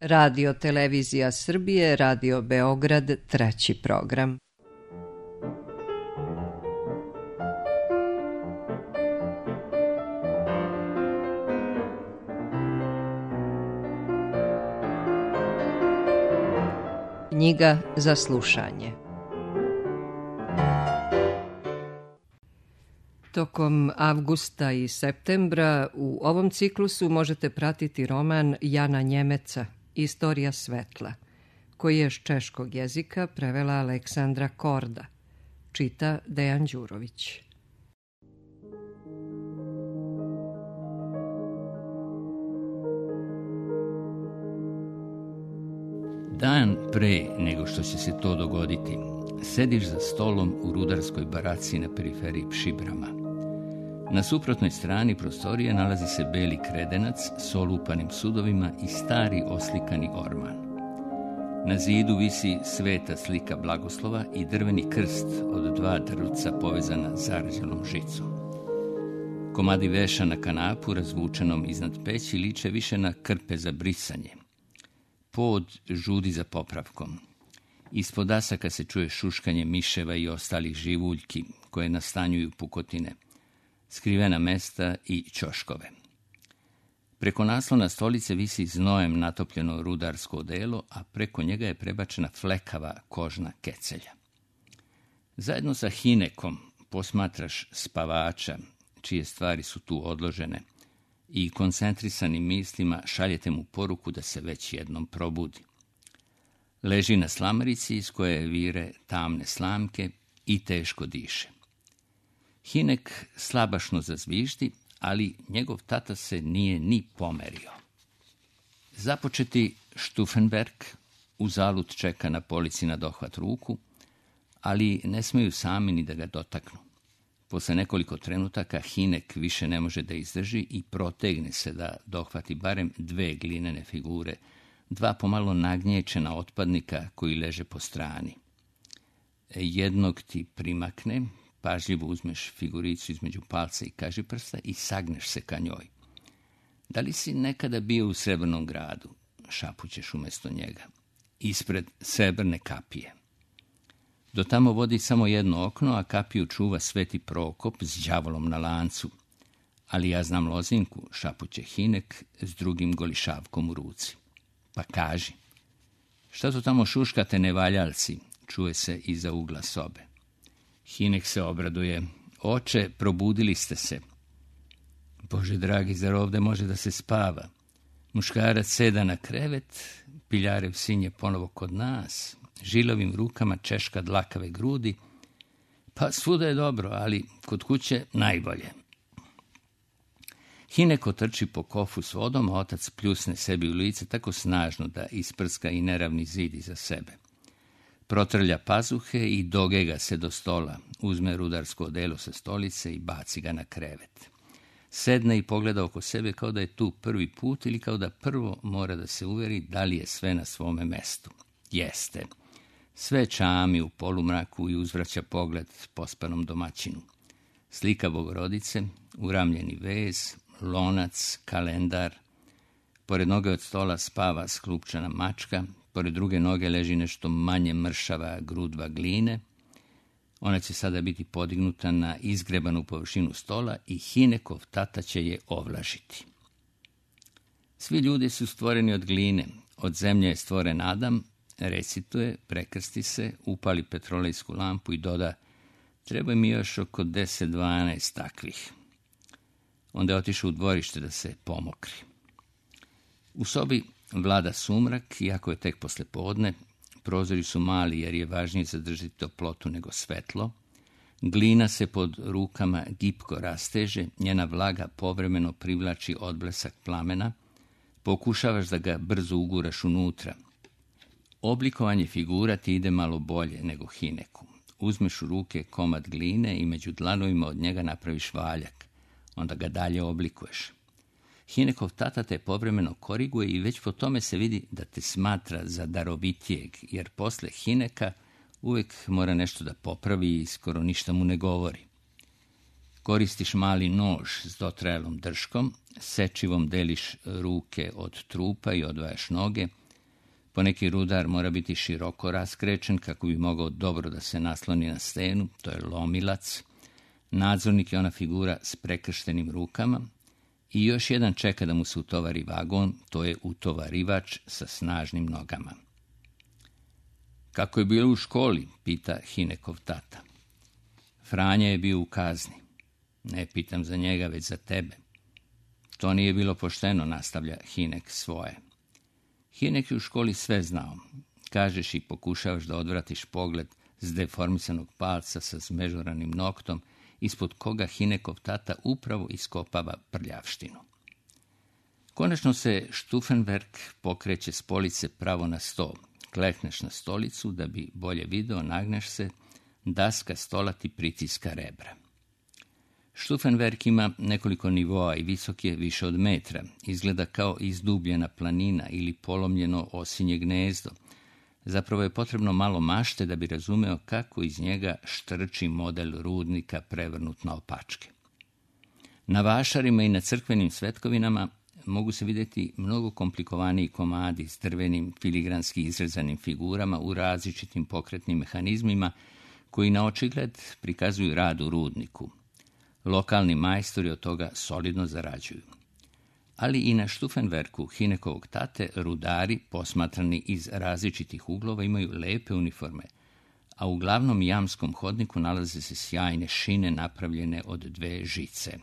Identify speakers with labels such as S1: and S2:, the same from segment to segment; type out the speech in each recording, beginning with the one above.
S1: Radio Televizija Srbije, Radio Beograd, treći program. Knjiga za slušanje. Tokom avgusta i septembra u ovom ciklusu možete pratiti roman Jana Njemeca Istorija svetla, koji je s češkog jezika prevela Aleksandra Korda. Čita Dejan Đurović.
S2: Dan pre nego što će se to dogoditi, sediš za stolom u rudarskoj baraci na periferiji Pšibrama. Na suprotnoj strani prostorije nalazi se beli kredenac s olupanim sudovima i stari oslikani orman. Na zidu visi sveta slika blagoslova i drveni krst od 2 drvca povezana zarđalom žicom. Komadi veša na kanapu razvučenom iznad peći liče više na krpe za brisanje. Pod žudi za popravkom. Ispod dasaka se čuje šuškanje miševa i ostalih živuljki koje nastanjuju pukotine, skrivena mesta i ćoškove. Preko naslona stolice visi znojem natopljeno rudarsko odelo, a preko njega je prebačena flekava kožna kecelja. Zajedno sa Hinekom posmatraš spavača, čije stvari su tu odložene, i koncentrisanim mislima šaljete mu poruku da se već jednom probudi. Leži na slamarici iz koje vire tamne slamke i teško diše. Hinek slabašno zazviždi, ali njegov tata se nije ni pomerio. Započeti Stufenberg uzalud čeka na polici na dohvat ruku, ali ne smeju sami ni da ga dotaknu. Posle nekoliko trenutaka Hinek više ne može da izdrži i protegne se da dohvati barem 2 glinene figure, 2 pomalo nagnječena otpadnika koji leže po strani. Jednog ti primakne, pažljivo uzmeš figuricu između palca i kažiprsta i sagneš se ka njoj. Da li si nekada bio u Srebrnom gradu? Šapućeš umjesto njega. Ispred srebrne kapije. Do tamo vodi samo jedno okno, a kapiju čuva Sveti Prokop s đavolom na lancu. Ali ja znam lozinku, šapuće Hinek s drugim golišavkom u ruci. Pa kaži, šta to tamo šuškate nevaljalci, čuje se iza ugla sobe. Hinek se obraduje. Oče, probudili ste se. Bože dragi, zar ovde može da se spava? Muškarac seda na krevet, piljarev sin je ponovo kod nas, žilovim rukama češka dlakave grudi. Pa svuda je dobro, ali kod kuće najbolje. Hinek otrči po kofu s vodom, a otac pljusne sebi u lice tako snažno da isprska i neravni zid iza sebe. Protrlja pazuhe i dogega se do stola, uzme rudarsko odelo sa stolice i baci ga na krevet. Sedne i pogleda oko sebe kao da je tu prvi put ili kao da prvo mora da se uveri da li je sve na svome mestu. Jeste. Sve čami u polumraku i uzvraća pogled pospanom domaćinu. Slika Bogorodice, uramljeni vez, lonac, kalendar. Pored noge od stola spava sklupčana mačka, pored druge noge leži nešto manje mršava grudva gline. Ona će sada biti podignuta na izgrebanu površinu stola i Hinekov tata će je ovlažiti. Svi ljudi su stvoreni od gline, od zemlje je stvoren Adam, recituje, prekrsti se, upali petrolejsku lampu i doda: treba mi još oko 10-12 takvih. Onda je otišao u dvorište da se pomokri. U sobi vlada sumrak, iako je tek posle podne. Prozori su mali jer je važnije zadržati toplotu nego svetlo. Glina se pod rukama gipko rasteže, njena vlaga povremeno privlači odblesak plamena. Pokušavaš da ga brzo uguraš unutra. Oblikovanje figura ti ide malo bolje nego Hineku. Uzmeš u ruke komad gline i među dlanovima od njega napraviš valjak. Onda ga dalje oblikuješ. Hinekov tata te povremeno koriguje i već po tome se vidi da te smatra za darovitijeg, jer posle Hineka uvijek mora nešto da popravi i skoro ništa mu ne govori. Koristiš mali nož s dotrajalom drškom, sečivom deliš ruke od trupa i odvajaš noge, Poneki rudar mora biti široko raskrećen kako bi mogao dobro da se nasloni na stenu, to je lomilac. Nadzornik je ona figura s prekrštenim rukama i još jedan čeka da mu se utovari vagon, to je utovarivač sa snažnim nogama. Kako je bilo u školi, pita Hinekov tata. Franja je bio u kazni. Ne pitam za njega, već za tebe. To nije bilo pošteno, nastavlja Hinek svoje. Hinek je u školi sve znao. Kažeš i pokušavaš da odvratiš pogled s deformisanog palca sa zmežuranim noktom, ispod koga Hinekov tata upravo iskopava prljavštinu. Konačno se Stufenberg pokreće s police pravo na sto. Klekneš na stolicu, da bi bolje video, nagneš se, daska stola ti pritiska rebra. Stufenberg ima nekoliko nivoa i visok je više od metra. Izgleda kao izdubljena planina ili polomljeno osinje gnezdo. Zapravo je potrebno malo mašte da bi razumeo kako iz njega štrči model rudnika prevrnut na opačke. Na vašarima i na crkvenim svetkovinama mogu se vidjeti mnogo komplikovaniji komadi s drvenim filigranski izrezanim figurama u različitim pokretnim mehanizmima koji na očigled prikazuju rad u rudniku. Lokalni majstori od toga solidno zarađuju. Ali i na Stufenbergu Hinekovog tate rudari, posmatrani iz različitih uglova, imaju lepe uniforme, a u glavnom jamskom hodniku nalaze se sjajne šine napravljene od 2 žice.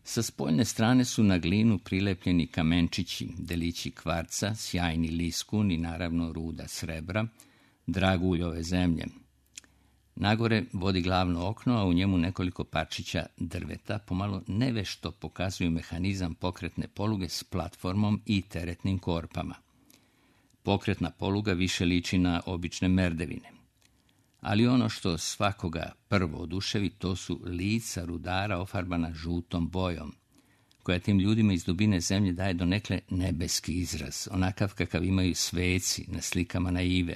S2: Sa spoljne strane su na glinu prilepljeni kamenčići, delići kvarca, sjajni liskun i naravno ruda srebra, dragulj ove zemlje. Nagore vodi glavno okno, a u njemu nekoliko parčića drveta, pomalo nevešto pokazuju mehanizam pokretne poluge s platformom i teretnim korpama. Pokretna poluga više liči na obične merdevine. Ali ono što svakoga prvo oduševi, to su lica rudara ofarbana žutom bojom, koja tim ljudima iz dubine zemlje daje donekle nebeski izraz, onakav kakav imaju sveci na slikama naive.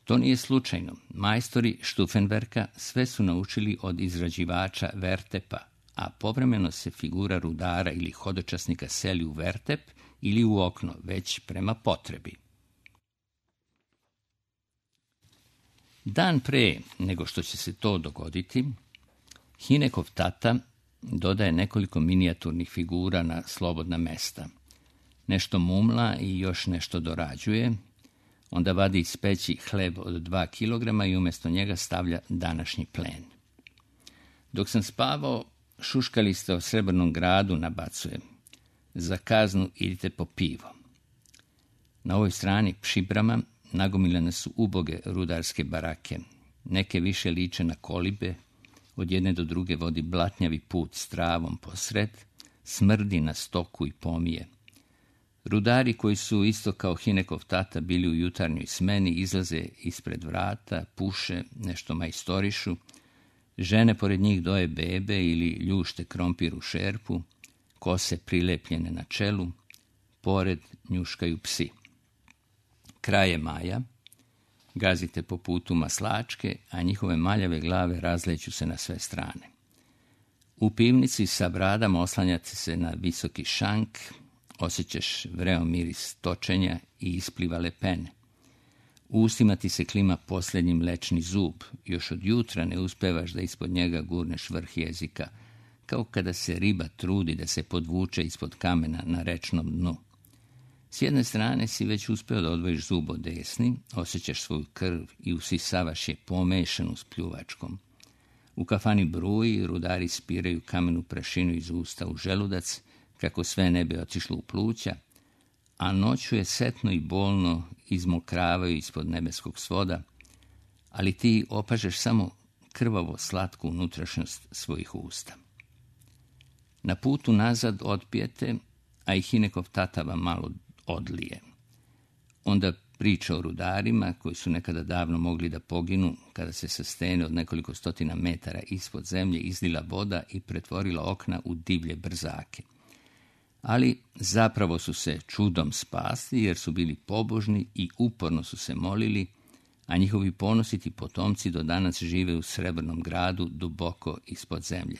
S2: To nije slučajno. Majstori Stufenberga sve su naučili od izrađivača vertepa, a povremeno se figura rudara ili hodočasnika seli u vertep ili u okno, već prema potrebi. Dan pre nego što će se to dogoditi, Hinekov tata dodaje nekoliko minijaturnih figura na slobodna mesta. Nešto mumla i još nešto dorađuje, onda vadi iz peći hleb od 2 kilograma i umjesto njega stavlja današnji plen. Dok sam spavao, šuškali ste o Srebrnom gradu, nabacuje. Za kaznu idite po pivo. Na ovoj strani Pšibrama nagomilane su uboge rudarske barake. Neke više liče na kolibe, od jedne do druge vodi blatnjavi put s travom posred, smrdi na stoku i pomije. Rudari koji su isto kao Hinekov tata bili u jutarnjoj smeni izlaze ispred vrata, puše, nešto majstorišu, žene pored njih doje bebe ili ljušte krompir u šerpu, kose prilepljene na čelu, pored njuškaju psi. Kraj je maja, gazite po putu maslačke, a njihove maljave glave razleću se na sve strane. U pivnici sa bradama oslanjate se na visoki šank, osjećaš vreo miris točenja i isplivale pene. U ustima ti se klima posljednji mlečni zub, još od jutra ne uspevaš da ispod njega gurneš vrh jezika, kao kada se riba trudi da se podvuče ispod kamena na rečnom dnu. S jedne strane si već uspeo da odvojiš zub od desni, osjećaš svoju krv i usisavaš je pomešanu s pljuvačkom. U kafani bruji, rudari spiraju kamenu prašinu iz usta u želudac, kako sve ne bi otišlo u pluća, a noću je setno i bolno izmokravaju ispod nebeskog svoda, ali ti opažeš samo krvavo slatku unutrašnjost svojih usta. Na putu nazad otpijete, a i Hinekov tata vam malo odlije. Onda priča o rudarima koji su nekada davno mogli da poginu kada se sa stene od nekoliko stotina metara ispod zemlje izlila voda i pretvorila okna u divlje brzake. Ali zapravo su se čudom spasli jer su bili pobožni i uporno su se molili, a njihovi ponositi potomci do danas žive u Srebrnom gradu duboko ispod zemlje.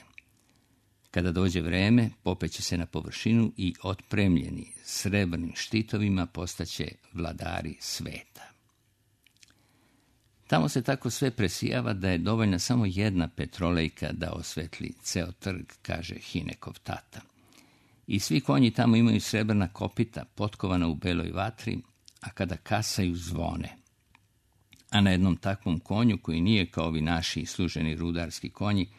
S2: Kada dođe vreme, popeće se na površinu i otpremljeni srebrnim štitovima postaće vladari sveta. Tamo se tako sve presijava da je dovoljna samo jedna petrolejka da osvetli ceo trg, kaže Hinekov tata. I svi konji tamo imaju srebrna kopita, potkovana u beloj vatri, a kada kasaju zvone. A na jednom takvom konju, koji nije kao ovi naši služeni rudarski konji,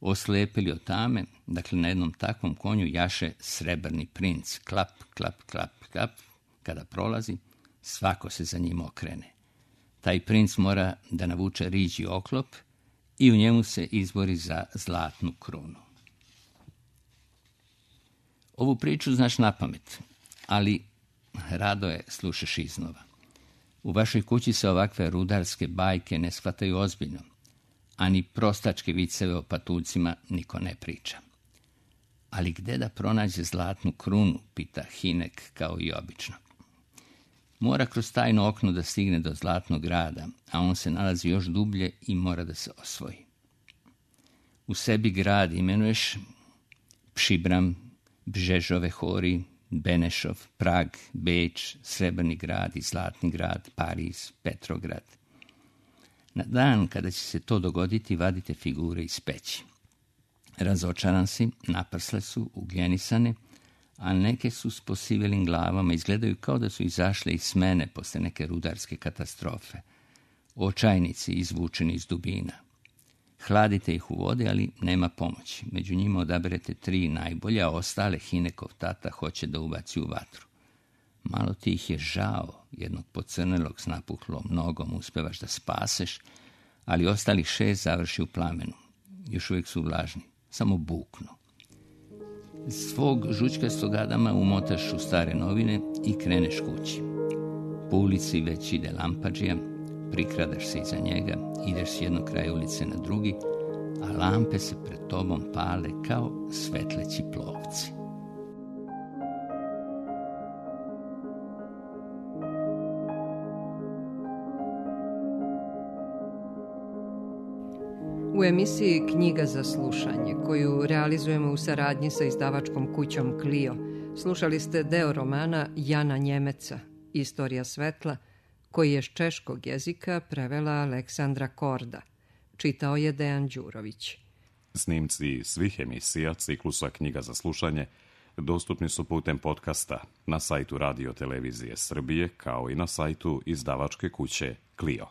S2: oslepili od tame, dakle na jednom takvom konju jaše srebrni princ, klap, klap, klap, klap, kada prolazi, svako se za njim okrene. Taj princ mora da navuče riđi oklop i u njemu se izbori za zlatnu krunu. Ovu priču znaš napamet, ali rado je slušaš iznova. U vašoj kući se ovakve rudarske bajke ne shvataju ozbiljno, a ni prostačke viceve o patuljcima niko ne priča. Ali gde da pronađe zlatnu krunu, pita Hinek kao i obično. Mora kroz tajno okno da stigne do Zlatnog grada, a on se nalazi još dublje i mora da se osvoji. U sebi grad imenuješ Pšibram, Bžežove hori, Benešov, Prag, Beč, Srebrni grad i Zlatni grad, Pariz, Petrograd. Na dan kada će se to dogoditi, vadite figure iz peći. Razočaran si, naprsle su, ugljenisane, a neke su s posivelim glavama, izgledaju kao da su izašle iz smene posle neke rudarske katastrofe. Očajnici izvučeni iz dubina. Hladite ih u vodi, ali nema pomoći. Među njima odaberete 3 najbolja, a ostale Hinekov tata hoće da ubaci u vatru. Malo ti ih je žao, jednog pocrnelog s napuhlom nogom uspevaš da spaseš, ali ostalih 6 završi u plamenu. Još uvijek su vlažni, samo buknu. Svog žučkastog Adama umotaš u stare novine i kreneš kući. Po ulici već ide lampadžija, prikradaš se iza njega, ideš s jednog kraja ulice na drugi, a lampe se pred tobom pale kao svetleći plovci.
S1: U emisiji Knjiga za slušanje, koju realizujemo u saradnji sa izdavačkom kućom Clio, slušali ste deo romana Jana Njemeca, Istorija svetla, koji je s češkog jezika prevela Aleksandra Korda. Čitao je Dejan Đurović.
S3: Snimci svih emisija ciklusa Knjiga za slušanje dostupni su putem podcasta na sajtu Radio Televizije Srbije, kao i na sajtu izdavačke kuće Clio.